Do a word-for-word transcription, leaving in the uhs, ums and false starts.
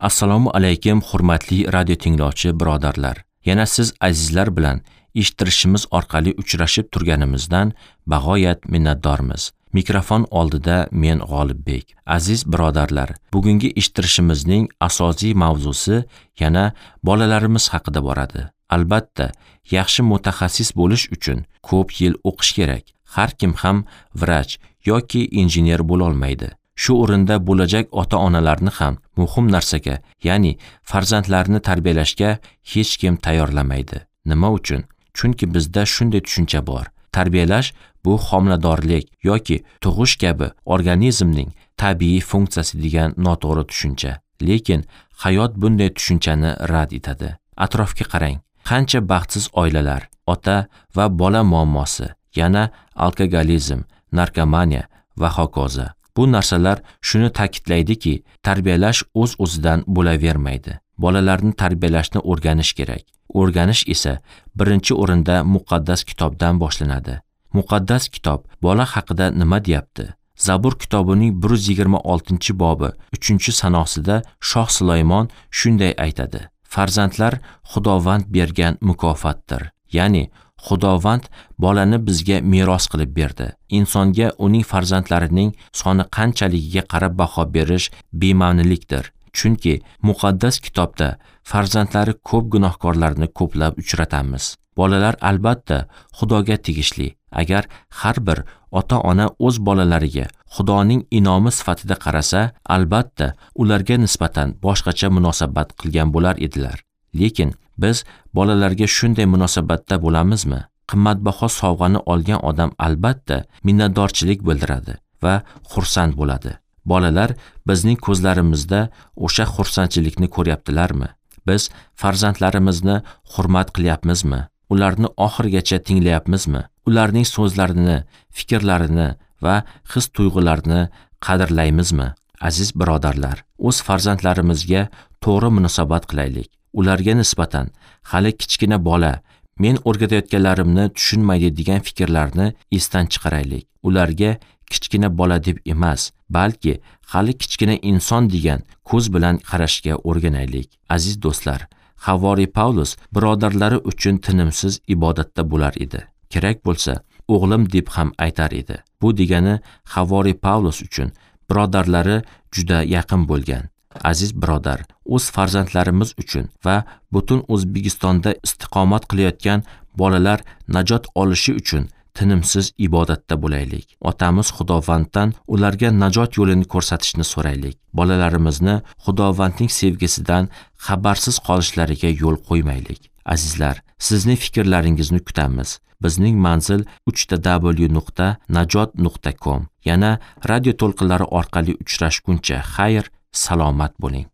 Assalomu alaykum hurmatli radio tinglovchi birodarlar. Yana siz azizlar bilan eshittirishimiz orqali uchrashib turganimizdan bag'oyat minnatdormiz. Mikrofon oldida men G'olibbek. Aziz birodarlar, bugungi eshittirishimizning asosiy mavzusi yana bolalarimiz haqida boradi. Albatta, yaxshi mutaxassis bo'lish uchun ko'p yil o'qish kerak. Har kim ham vrach yoki injener bo'la olmaydi. Shu o'rinda bo'lajak ota-onalarni ham muhim narsaga, ya'ni farzandlarini tarbiyalashga hech kim tayyorlamaydi. Nima uchun? Chunki bizda shunday tushuncha bor. Tarbiyalash bu homiladorlik yoki tug'ish kabi organizmning tabiiy funksiyasi degan noto'g'ri tushuncha. Lekin hayot bunday tushunchani rad etadi. Atrofga qarang. Qancha baxtsiz oilalar, ota va bola muammosi, yana alkogolizm, narkomaniya va hokazo. Bu narsalar shuni ta'kidlaydiki, tarbiyalash o'z-o'zidan bo'lavermaydi. Bolalarni tarbiyalashni o'rganish kerak. O'rganish esa birinchi o'rinda muqaddas kitobdan boshlanadi. Muqaddas kitob bola haqida nima deyapti? Zabur kitobining bir yuz yigirma oltinchi bobi uchinchi sanosida Shoh Sulaymon shunday aytadi: Farzandlar Xudovand bergan mukofotdir. Ya'ni Xudovand bolani bizga meros qilib berdi. Insonga uning farzandlarining soni qanchaligiga qarab baho berish bema'nilikdir. Chunki muqaddas kitobda farzandlari ko'p gunohkorlarni ko'plab uchratamiz. Bolalar albatta Xudoga tegishli. Agar har bir ota-ona o'z bolalariga Xudoning inomi sifatida qarasa, albatta ularga nisbatan boshqacha munosabat qilgan bo'lar edilar. Lekin biz bolalarga shunday munosabatda bo'lamizmi? Qimmatbaho sovg'ani olgan odam albatta minnatdorchilik bildiradi va xursand bo'ladi. Bolalar bizning ko'zlarimizda o'sha xursandchilikni ko'ryaptilarmi? Biz farzandlarimizni hurmat qilyapmizmi? Ularni oxirigacha tinglayapmizmi? Ularning so'zlarini, fikrlarini va his-tuyg'ularini qadrlaymizmi? Aziz birodarlar, o'z farzandlarimizga to'g'ri munosabat qilaylik. Ularga nisbatan hali kichkina bola, men o'rgatayotganlarimni tushunmaydi degan fikrlarni esdan chiqaraylik. Ularga kichkina bola deb emas, balki hali kichkina inson degan ko'z bilan qarashga o'rganaylik. Aziz do'stlar, Havoriy Pavlus birodarlari uchun tinimsiz ibodatda bo'lar edi. Kerak bo'lsa, o'g'lim deb ham aytar edi. Bu degani Havoriy Pavlus uchun birodarlari juda yaqin bo'lgan. Aziz birodar, o'z farzandlarimiz uchun va butun O'zbekistonda istiqomat qilayotgan bolalar najot olishi uchun tinimsiz ibodatda bo'laylik. Otamiz Xudovanddan ularga najot yo'lini ko'rsatishni so'raylik. Bolalarimizni Xudovandning sevgisidan xabarsiz qolishlariga yo'l qo'ymaylik. Azizlar, sizning fikrlaringizni kutamiz. Bizning manzil uch ta w nuqta najot nuqta com. Yana radio to'lqinlari orqali uchrashguncha xayr, salomat bo'ling.